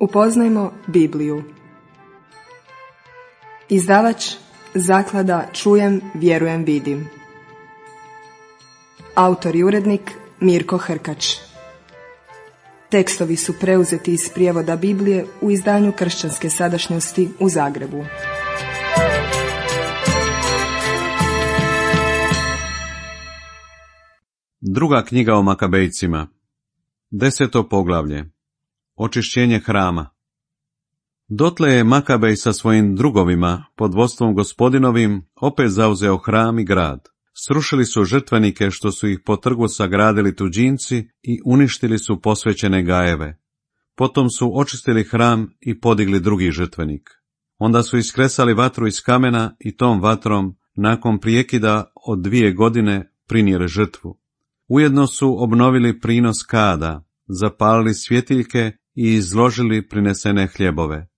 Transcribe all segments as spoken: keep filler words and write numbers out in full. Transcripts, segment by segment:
Upoznajmo Bibliju. Izdavač Zaklada Čujem, vjerujem, vidim. Autor i urednik Mirko Hrkač. Tekstovi su preuzeti iz prijevoda Biblije u izdanju Kršćanske sadašnjosti u Zagrebu. Druga knjiga o Makabejcima. Deseto poglavlje. Očišćenje hrama. Dotle je Makabej sa svojim drugovima, pod vodstvom gospodinovim, opet zauzeo hram i grad. Srušili su žrtvenike što su ih po trgu sagradili tuđinci i uništili su posvećene gajeve. Potom su očistili hram i podigli drugi žrtvenik. Onda su iskresali vatru iz kamena i tom vatrom, nakon prijekida od dvije godine, prinijeli žrtvu. Ujedno su obnovili prinos kada, zapalili svjetiljke i izložili prinesene hljebove.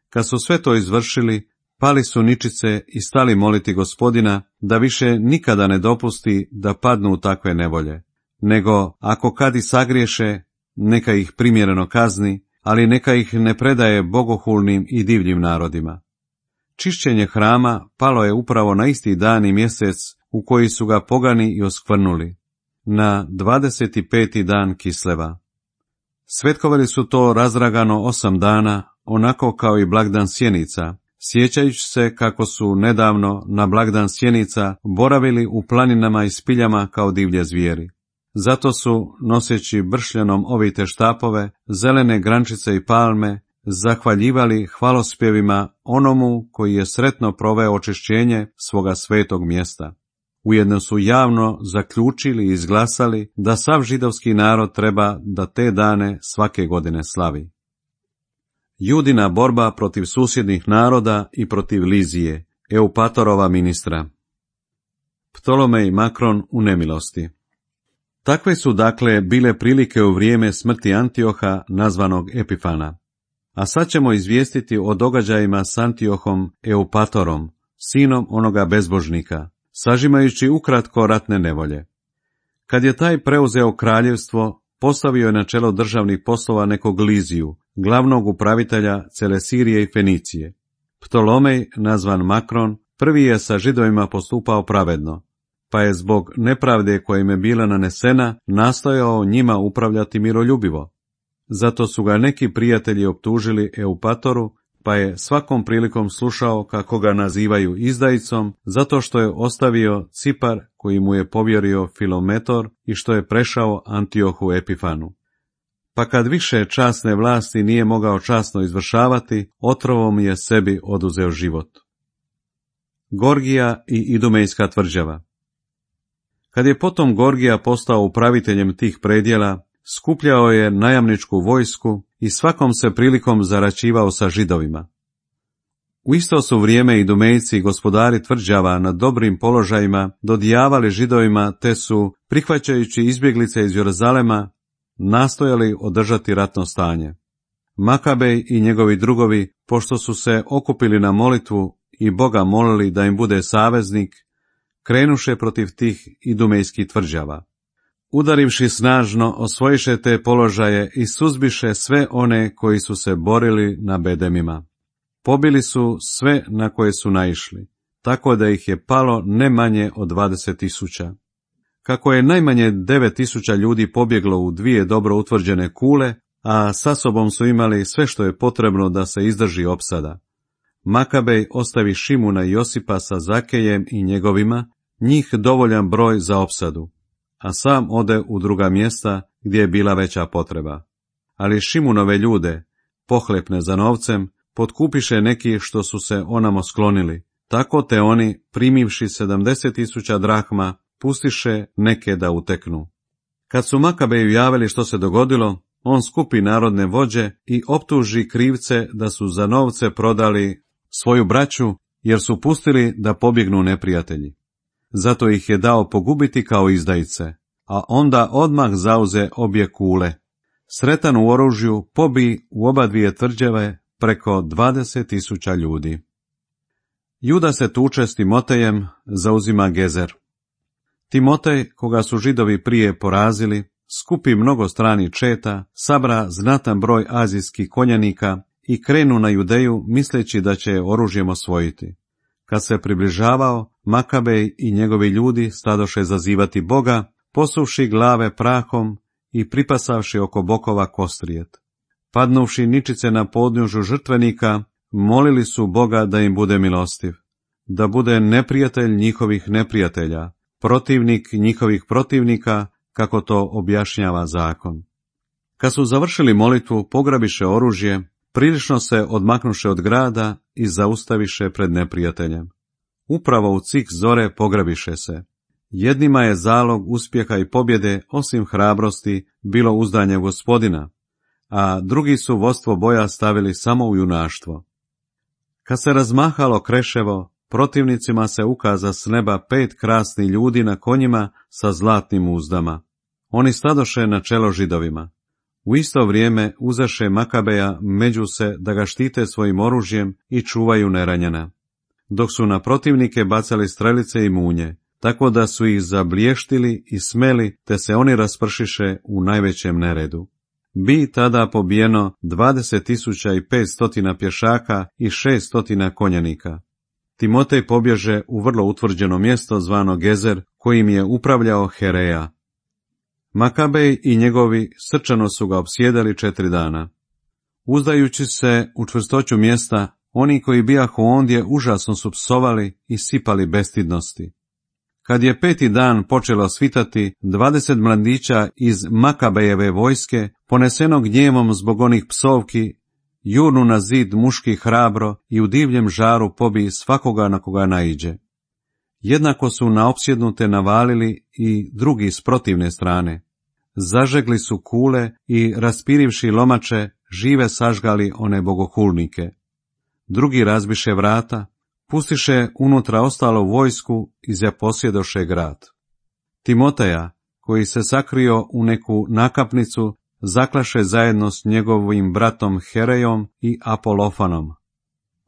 Kad su sve to izvršili, pali su ničice i stali moliti Gospodina da više nikada ne dopusti da padnu u takve nevolje, nego ako kad i sagriješe, neka ih primjereno kazni, ali neka ih ne predaje bogohulnim i divljim narodima. Čišćenje hrama palo je upravo na isti dan i mjesec u koji su ga pogani i oskvrnuli, na dvadeset peti dan Kisleva. Svetkovali su to razragano osam dana, onako kao i blagdan sjenica, sjećajući se kako su nedavno na blagdan sjenica boravili u planinama i spiljama kao divlje zvijeri. Zato su, noseći bršljanom ovite štapove, zelene grančice i palme, zahvaljivali hvalospjevima onomu koji je sretno proveo očišćenje svoga svetog mjesta. Ujedno su javno zaključili i izglasali da sav židovski narod treba da te dane svake godine slavi. Judina borba protiv susjednih naroda i protiv Lizije, Eupatorova ministra. Ptolomej Makron u nemilosti. Takve su dakle bile prilike u vrijeme smrti Antioha, nazvanog Epifana. A sad ćemo izvijestiti o događajima s Antiohom Eupatorom, sinom onoga bezbožnika, sažimajući ukratko ratne nevolje. Kad je taj preuzeo kraljevstvo, postavio je na čelo državnih poslova nekog Liziju, glavnog upravitelja cele Sirije i Fenicije. Ptolomej, nazvan Makron, prvi je sa Židovima postupao pravedno, pa je zbog nepravde koja im je bila nanesena nastojao njima upravljati miroljubivo. Zato su ga neki prijatelji optužili Eupatoru, pa je svakom prilikom slušao kako ga nazivaju izdajicom, zato što je ostavio Cipar koji mu je povjerio Filometor i što je prešao Antiohu Epifanu. Pa kad više časne vlasti nije mogao časno izvršavati, otrovom je sebi oduzeo život. Gorgija i Idumejska tvrđava. Kad je potom Gorgija postao upraviteljem tih predjela, skupljao je najamničku vojsku i svakom se prilikom zaraćivao sa Židovima. U isto su vrijeme Idumejci i gospodari tvrđava na dobrim položajima dodijavali Židovima, te su, prihvaćajući izbjeglice iz Jeruzalema, nastojali održati ratno stanje. Makabej i njegovi drugovi, pošto su se okupili na molitvu i Boga molili da im bude saveznik, krenuše protiv tih idumejskih tvrđava. Udarivši snažno, osvojiše te položaje i suzbiše sve one koji su se borili na bedemima. Pobili su sve na koje su naišli, tako da ih je palo ne manje od dvadeset tisuća. Kako je najmanje devet tisuća ljudi pobjeglo u dvije dobro utvrđene kule, a sa sobom su imali sve što je potrebno da se izdrži opsada. Makabej ostavi Šimuna i Josipa sa Zakejem i njegovima, njih dovoljan broj za opsadu, a sam ode u druga mjesta gdje je bila veća potreba. Ali Šimunove ljude, pohlepne za novcem, potkupiše neki što su se onamo sklonili, tako te oni, primivši sedamdeset tisuća drahma, pustiše neke da uteknu. Kad su Makabeju javili što se dogodilo, on skupi narodne vođe i optuži krivce da su za novce prodali svoju braću, jer su pustili da pobjegnu neprijatelji. Zato ih je dao pogubiti kao izdajice, a onda odmah zauze obje kule. Sretan u oružju pobi u oba dvije tvrđave preko dvadeset tisuća ljudi. Juda se tuče s Timotejem, zauzima Gezer. Timotej, koga su Židovi prije porazili, skupi mnogo stranih četa, sabra znatan broj azijskih konjanika i krenu na Judeju misleći da će oružjem osvojiti. Kad se približavao, Makabej i njegovi ljudi stadoše zazivati Boga, posuvši glave prahom i pripasavši oko bokova kostrijet. Padnuvši ničice na podnjužu žrtvenika, molili su Boga da im bude milostiv, da bude neprijatelj njihovih neprijatelja, protivnik njihovih protivnika, kako to objašnjava zakon. Kad su završili molitvu, pograbiše oružje, prilično se odmaknuše od grada i zaustaviše pred neprijateljem. Upravo u cik zore pograbiše se. Jednima je zalog uspjeha i pobjede, osim hrabrosti, bilo uzdanje Gospodina, a drugi su vodstvo boja stavili samo u junaštvo. Kad se razmahalo kreševo, protivnicima se ukaza s neba pet krasnih ljudi na konjima sa zlatnim uzdama. Oni stadoše na čelo Židovima. U isto vrijeme uzaše Makabeja među se da ga štite svojim oružjem i čuvaju neranjena, dok su na protivnike bacali strelice i munje, tako da su ih zablještili i smeli, te se oni raspršiše u najvećem neredu. Bi tada pobijeno dvadeset tisuća i petstotina pješaka i šeststotina konjanika. Timotej pobježe u vrlo utvrđeno mjesto zvano Gezer, kojim je upravljao Hereja. Makabej i njegovi srčano su ga opsjedali četiri dana. Uzdajući se u čvrstoću mjesta, oni koji bijahu ondje užasno su psovali i sipali bestidnosti. Kad je peti dan počelo svitati, dvadeset mladića iz Makabejeve vojske, poneseno gnjevom zbog onih psovki, jurnu na zid muški hrabro i u divljem žaru pobiji svakoga na koga naiđe. Jednako su na opsjednute navalili i drugi s protivne strane. Zažegli su kule i, raspirivši lomače, žive sažgali one bogohulnike. Drugi razbiše vrata, pustiše unutra ostalo vojsku i zaposjedoše grad. Timoteja, koji se sakrio u neku nakapnicu, zaklaše zajedno s njegovim bratom Herejom i Apolofanom.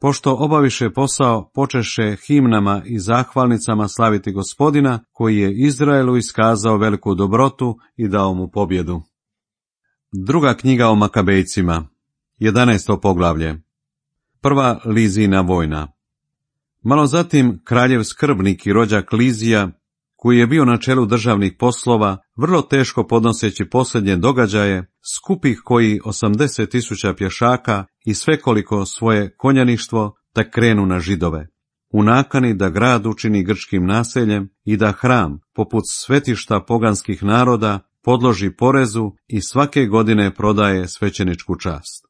Pošto obaviše posao, počeše himnama i zahvalnicama slaviti Gospodina, koji je Izraelu iskazao veliku dobrotu i dao mu pobjedu. Druga knjiga o Makabejcima, jedanaesto poglavlje. Prva Lizina vojna. Malo zatim kraljev skrbnik i rođak Lizija, koji je bio na čelu državnih poslova, vrlo teško podnoseći posljednje događaje, skupih koji osamdeset tisuća pješaka i svekoliko svoje konjaništvo, da krenu na Židove, u nakani da grad učini grčkim naseljem i da hram, poput svetišta poganskih naroda, podloži porezu i svake godine prodaje svećeničku čast.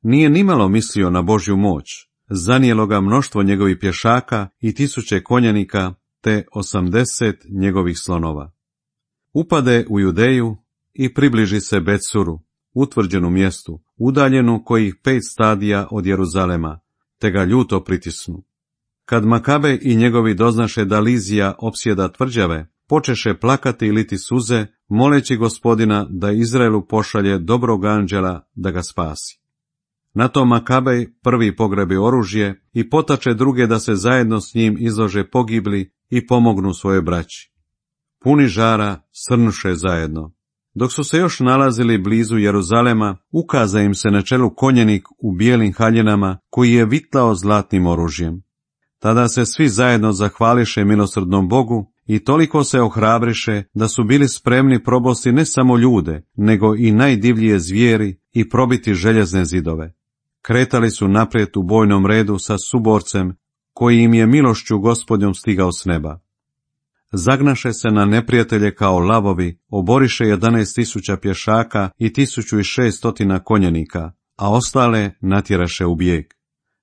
Nije nimalo mislio na Božju moć, zanijelo ga mnoštvo njegovih pješaka i tisuće konjanika, te osamdeset njegovih slonova. Upade u Judeju i približi se Betsuru, utvrđenu mjestu, udaljenu kojih pet stadija od Jeruzalema, te ga ljuto pritisnu. Kad Makabej i njegovi doznaše da Lizija opsjeda tvrđave, počeše plakati i liti suze, moleći Gospodina da Izraelu pošalje dobrog anđela da ga spasi. Na to Makabej prvi pogrebi oružje i potače druge da se zajedno s njim izlože pogibli i pomognu svojoj braći. Puni žara srnuše zajedno. Dok su se još nalazili blizu Jeruzalema, ukaza im se na čelu konjenik u bijelim haljinama koji je vitlao zlatnim oružjem. Tada se svi zajedno zahvališe milosrdnom Bogu i toliko se ohrabriše da su bili spremni probosti ne samo ljude, nego i najdivljije zvijeri i probiti željezne zidove. Kretali su naprijed u bojnom redu sa suborcem koji im je milošću Gospodnjom stigao s neba. Zagnaše se na neprijatelje kao lavovi, oboriše jedanaest tisuća pješaka i tisuću i šeststotina konjanika, a ostale natjeraše u bijeg.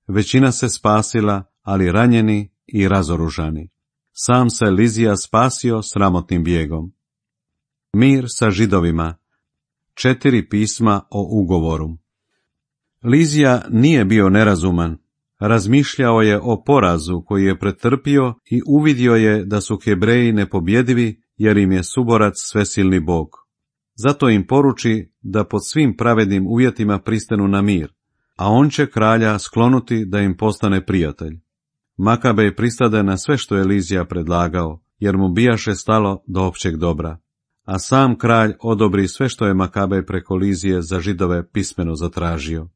Većina se spasila, ali ranjeni i razoružani. Sam se Lizija spasio sramotnim bijegom. Mir sa Židovima. Četiri pisma o ugovoru. Lizija nije bio nerazuman. Razmišljao je o porazu koji je pretrpio i uvidio je da su Hebreji nepobjedivi jer im je suborac svesilni Bog. Zato im poruči da pod svim pravednim uvjetima pristanu na mir, a on će kralja sklonuti da im postane prijatelj. Makabej pristade na sve što je Lizija predlagao, jer mu bijaše stalo do općeg dobra. a sam kralj odobri sve što je Makabej preko Lizije za Židove pismeno zatražio.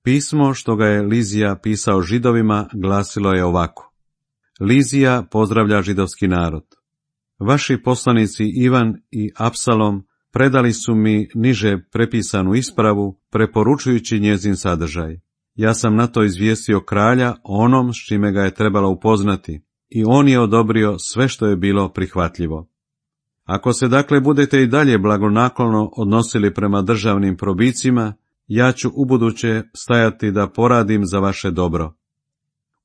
Pismo što ga je Lizija pisao Židovima glasilo je ovako. Lizija pozdravlja židovski narod. Vaši poslanici Ivan i Apsalom predali su mi niže prepisanu ispravu, preporučujući njezin sadržaj. Ja sam na to izvijestio kralja o onom s čime ga je trebalo upoznati, i on je odobrio sve što je bilo prihvatljivo. Ako se dakle budete i dalje blagonaklono odnosili prema državnim probicima, ja ću ubuduće stajati da poradim za vaše dobro.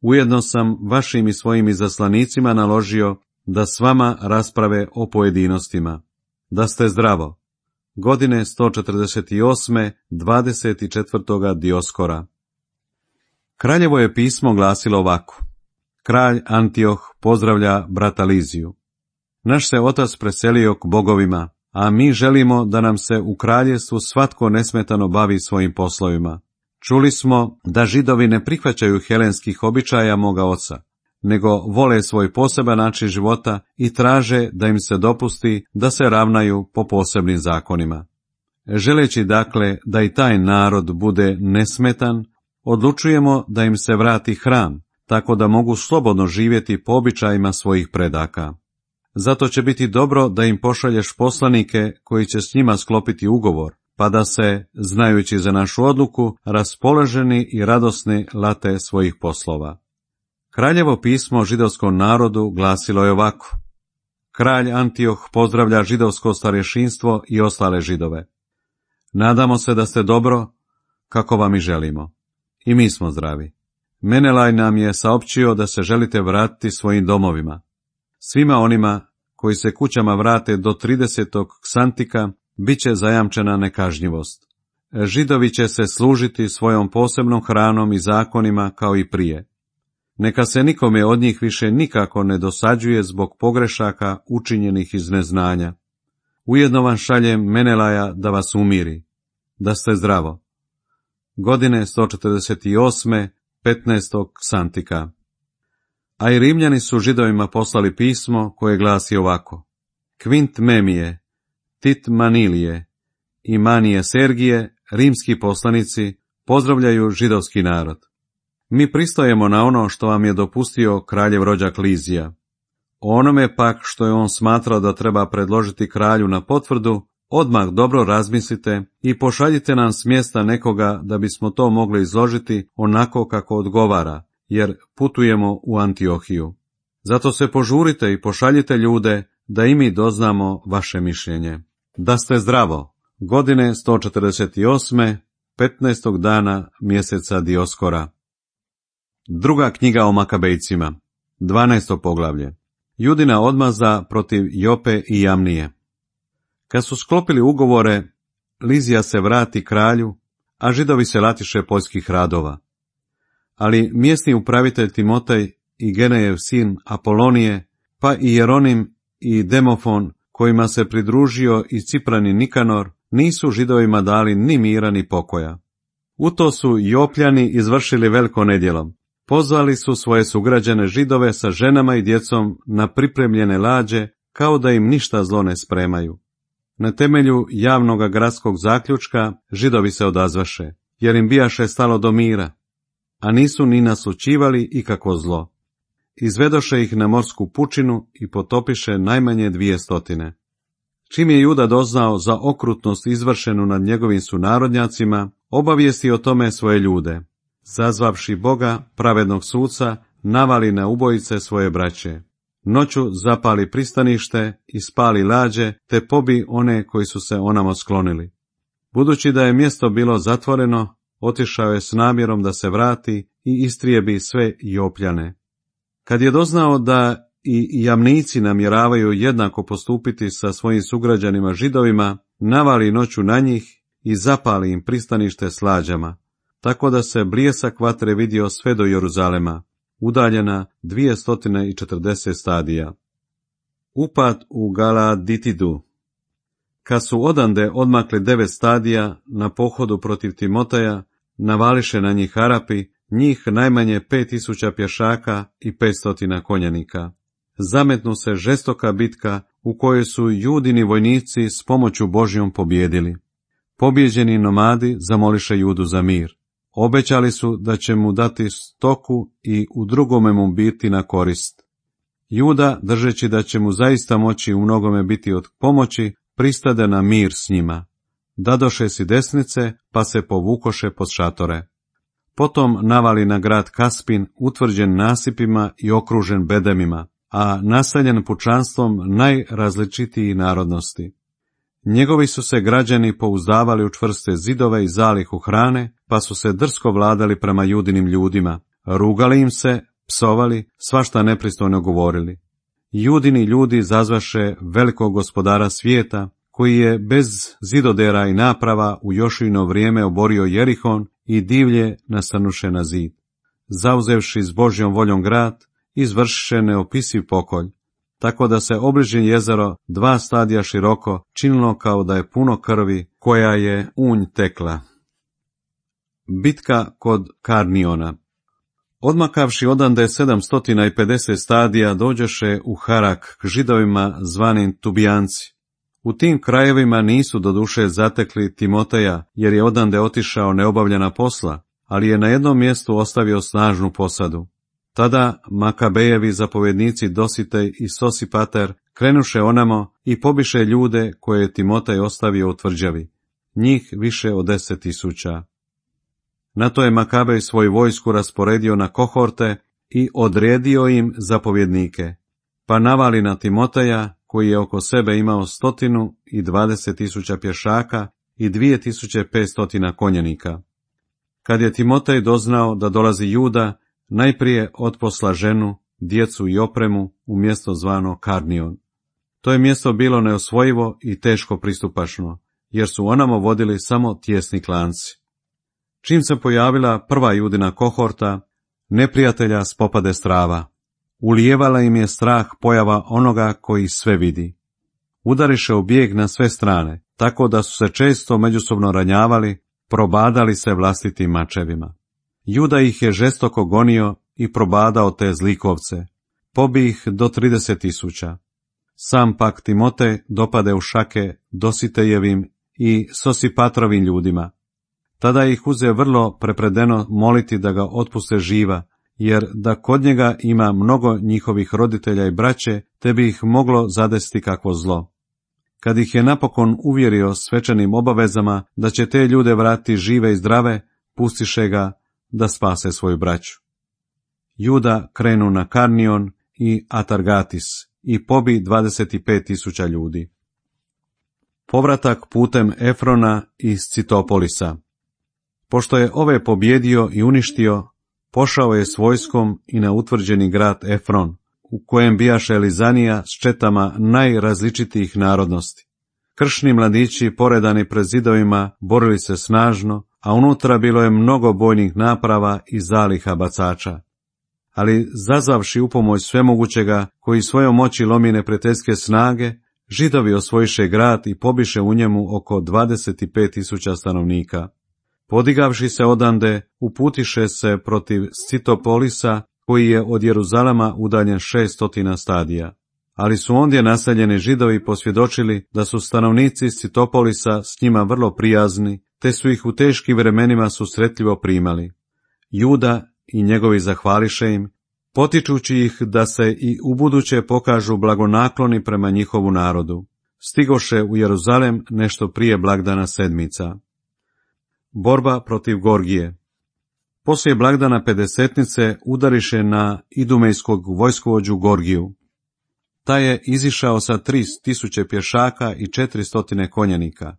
Ujedno sam vašim i svojim izaslanicima naložio da s vama rasprave o pojedinostima. Da ste zdravo. Godine sto četrdeset osme. dvadeset četvrtoga Dioskora. Kraljevo je pismo glasilo ovako. Kralj Antioh pozdravlja brata Liziju. Naš se otac preselio k bogovima, a mi želimo da nam se u kraljevstvu svatko nesmetano bavi svojim poslovima. Čuli smo da Židovi ne prihvaćaju helenskih običaja moga oca, nego vole svoj poseban način života i traže da im se dopusti da se ravnaju po posebnim zakonima. Želeći dakle da i taj narod bude nesmetan, odlučujemo da im se vrati hram, tako da mogu slobodno živjeti po običajima svojih predaka. Zato će biti dobro da im pošalješ poslanike koji će s njima sklopiti ugovor, pa da se, znajući za našu odluku, raspoloženi i radosni late svojih poslova. Kraljevo pismo židovskom narodu glasilo je ovako. Kralj Antioh pozdravlja židovsko starješinstvo i ostale Židove. Nadamo se da ste dobro, kako vam i želimo. I mi smo zdravi. Menelaj nam je saopćio da se želite vratiti svojim domovima. Svima onima koji se kućama vrate do tridesetog ksantika bit će zajamčena nekažnjivost. Židovi će se služiti svojom posebnom hranom i zakonima kao i prije. Neka se nikome od njih više nikako ne dosađuje zbog pogrešaka učinjenih iz neznanja. Ujedno vam šaljem Menelaja da vas umiri, da ste zdravo. Godine sto četrdeset osme. petnaestog ksantika. A i Rimljani su Židovima poslali pismo koje glasi ovako. Kvint Memije, Tit Manilije i Manije Sergije, rimski poslanici, pozdravljaju židovski narod. Mi pristajemo na ono što vam je dopustio kraljev rođak Lizija. O onome pak što je on smatrao da treba predložiti kralju na potvrdu, odmah dobro razmislite i pošaljite nam s mjesta nekoga da bismo to mogli izložiti onako kako odgovara, jer putujemo u Antiohiju. Zato se požurite i pošaljite ljude da i mi doznamo vaše mišljenje. Da ste zdravo. Godine sto četrdeset osme. petnaestog dana mjeseca Dioskora. Druga knjiga o Makabejcima. dvanaesto poglavlje. Judina odmaza protiv Jope i Jamnije. Kad su sklopili ugovore, Lizija se vrati kralju, a Židovi se latiše poljskih radova. Ali mjesni upravitelj Timotej i Genejev sin Apolonije, pa i Jeronim i Demofon, kojima se pridružio i Ciprani Nikanor, nisu Židovima dali ni mira ni pokoja. U to su Jopljani izvršili veliko nedjelo. Pozvali su svoje sugrađane Židove sa ženama i djecom na pripremljene lađe, kao da im ništa zlo ne spremaju. Na temelju javnoga gradskog zaključka Židovi se odazvaše, jer im bijaše stalo do mira, a nisu ni naslućivali ikako zlo. Izvedoše ih na morsku pučinu i potopiše najmanje dvije stotine. Čim je Juda doznao za okrutnost izvršenu nad njegovim sunarodnjacima, obavijesti o tome svoje ljude. Zazvavši Boga, pravednog suca, navali na ubojice svoje braće. Noću zapali pristanište i spali lađe, te pobi one koji su se onamo sklonili. Budući da je mjesto bilo zatvoreno, otišao je s namjerom da se vrati i istrijebi sve Jopljane. Kad je doznao da i Jamnici namjeravaju jednako postupiti sa svojim sugrađanima Židovima, navali noću na njih i zapali im pristanište s lađama, tako da se bljesak vatre vidio sve do Jeruzalema, udaljena dvjesto četrdeset stadija. Upad u Galaditidu. Kad su odande odmakli devet stadija na pohodu protiv Timoteja, navališe na njih Arapi, njih najmanje pet tisuća pješaka i petsto konjanika. Zametnu se žestoka bitka u kojoj su Judini vojnici s pomoću Božjom pobjedili. Pobjeđeni nomadi zamoliše Judu za mir. Obećali su da će mu dati stoku i u drugome mu biti na korist. Juda, držeći da će mu zaista moći u mnogome biti od pomoći, pristade na mir s njima. Dadoše si desnice, pa se povukoše pod šatore. Potom navali na grad Kaspin, utvrđen nasipima i okružen bedemima, a naseljen pučanstvom najrazličitijih narodnosti. Njegovi su se građani pouzdavali u čvrste zidove i zalihu hrane, pa su se drsko vladali prema Judinim ljudima, rugali im se, psovali, svašta nepristojno govorili. Judini ljudi zazvaše velikog gospodara svijeta, koji je bez zidodera i naprava u Jošino vrijeme oborio Jerihon i divlje nasrnuše na zid. Zauzevši s Božjom voljom grad, izvršiše neopisiv pokolj, tako da se obližnje jezero dva stadija široko činilo kao da je puno krvi koja je unj tekla. Bitka kod Karniona. Odmakavši odande sedamsto pedeset stadija, dođeše u Harak k Židovima zvanim Tubijanci. U tim krajevima nisu doduše zatekli Timoteja, jer je odande otišao neobavljena posla, ali je na jednom mjestu ostavio snažnu posadu. Tada Makabejevi zapovjednici Dositej i Sosipater krenuše onamo i pobiše ljude koje je Timotej ostavio u tvrđavi, njih više od deset tisuća. Na to je Makabej svoju vojsku rasporedio na kohorte i odredio im zapovjednike, pa navali na Timoteja, koji je oko sebe imao stotinu i dvadeset tisuća pješaka i dvije tisuće petstotina konjenika. Kad je Timotej doznao da dolazi Juda, najprije otposla ženu, djecu i opremu u mjesto zvano Karnion. To je mjesto bilo neosvojivo i teško pristupačno, jer su onamo vodili samo tijesni klanci. Čim se pojavila prva Judina kohorta, neprijatelja spopade strava. Ulijevala im je strah pojava onoga koji sve vidi. Udariše u bijeg na sve strane, tako da su se često međusobno ranjavali, probadali se vlastitim mačevima. Juda ih je žestoko gonio i probadao te zlikovce, pobi ih do trideset tisuća. Sam pak Timotej dopade u šake Dositejevim i Sosipatrovim ljudima. Tada ih uze vrlo prepredeno moliti da ga otpuste živa, jer da kod njega ima mnogo njihovih roditelja i braće, te bi ih moglo zadesiti kakvo zlo. Kad ih je napokon uvjerio svečanim obavezama da će te ljude vratiti žive i zdrave, pustiše ga da spase svoju braću. Juda krenu na Karnion i Atargatis i pobi dvadeset pet tisuća ljudi. Povratak putem Efrona iz Citopolisa. Pošto je ove pobjedio i uništio, pošao je s vojskom i na utvrđeni grad Efron, u kojem bijaše Elizanija s četama najrazličitijih narodnosti. Kršni mladići poredani pred zidovima borili se snažno, a unutra bilo je mnogo bojnih naprava i zaliha bacača. Ali zazvavši upomoć svemogućega, koji svojom moći lomi neprijateljske snage, Židovi osvojiše grad i pobiše u njemu oko dvadeset pet tisuća stanovnika. Podigavši se odande, uputiše se protiv Scitopolisa, koji je od Jeruzalema udaljen šeststotina stadija. Ali su ondje naseljeni Židovi posvjedočili da su stanovnici Scitopolisa s njima vrlo prijazni, te su ih u teškim vremenima susretljivo primali. Juda i njegovi zahvališe im, potičući ih da se i ubuduće pokažu blagonakloni prema njihovu narodu. Stigoše u Jeruzalem nešto prije blagdana sedmica. Borba protiv Gorgije. Poslije blagdana pedesetnice udariše na idumejskog vojskovođu Gorgiju. Ta je izišao sa tri tisuće pješaka i četiristotine konjanika.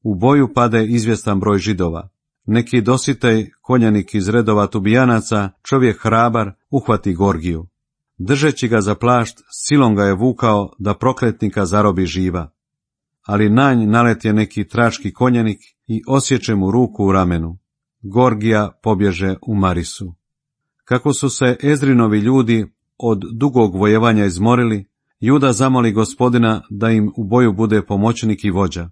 U boju pade izvjestan broj Židova. Neki Dositej, konjanik iz redova Tubijanaca, čovjek hrabar, uhvati Gorgiju. Držeći ga za plašt, silom ga je vukao da prokletnika zarobi živa. Ali na nj naletje neki trački konjanik i osjeće mu ruku u ramenu. Gorgija pobježe u Marisu. Kako su se Ezrinovi ljudi od dugog vojevanja izmorili, Juda zamoli Gospodina da im u boju bude pomoćnik i vođa.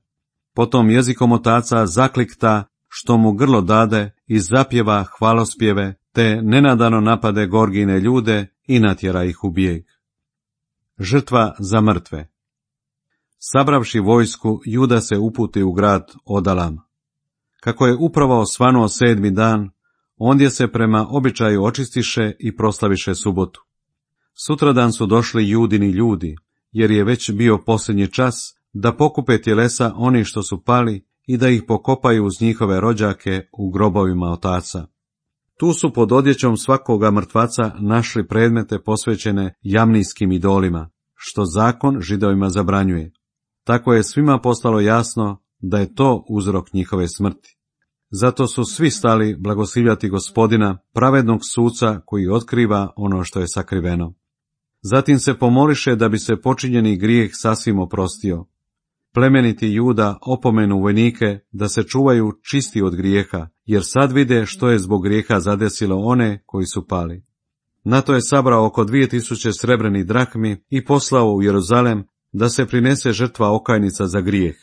Potom jezikom otaca zaklikta što mu grlo dade i zapjeva hvalospjeve, te nenadano napade Gorgine ljude i natjera ih u bijeg. Žrtva za mrtve. Sabravši vojsku, Juda se uputi u grad Odalam. Kako je upravo osvanuo sedmi dan, ondje se prema običaju očistiše i proslaviše subotu. Sutradan su došli Judini ljudi, jer je već bio posljednji čas, da pokupe tjelesa oni što su pali i da ih pokopaju uz njihove rođake u grobovima otaca. Tu su pod odjećom svakoga mrtvaca našli predmete posvećene jamnijskim idolima, što zakon Židovima zabranjuje. Tako je svima postalo jasno da je to uzrok njihove smrti. Zato su svi stali blagoslivljati Gospodina, pravednog suca koji otkriva ono što je sakriveno. Zatim se pomoliše da bi se počinjeni grijeh sasvim oprostio. Plemeniti Juda opomenu vojnike da se čuvaju čisti od grijeha, jer sad vide što je zbog grijeha zadesilo one koji su pali. Na to je sabrao oko dvije tisuće srebrnih drahmi i poslao u Jeruzalem da se prinese žrtva okajnica za grijeh.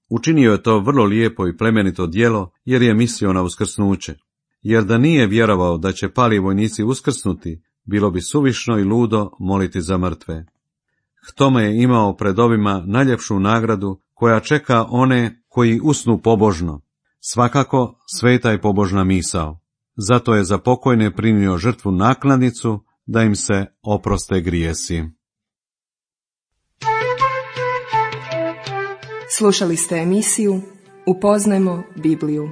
Učinio je to vrlo lijepo i plemenito djelo, jer je mislio na uskrsnuće. Jer da nije vjerovao da će pali vojnici uskrsnuti, bilo bi suvišno i ludo moliti za mrtve. K tome je imao pred ovima najljepšu nagradu koja čeka one koji usnu pobožno. Svakako sveta i pobožna misao. Zato je za pokojne primio žrtvu naknadnicu da im se oproste grijesi. Slušali ste emisiju Upoznajmo Bibliju.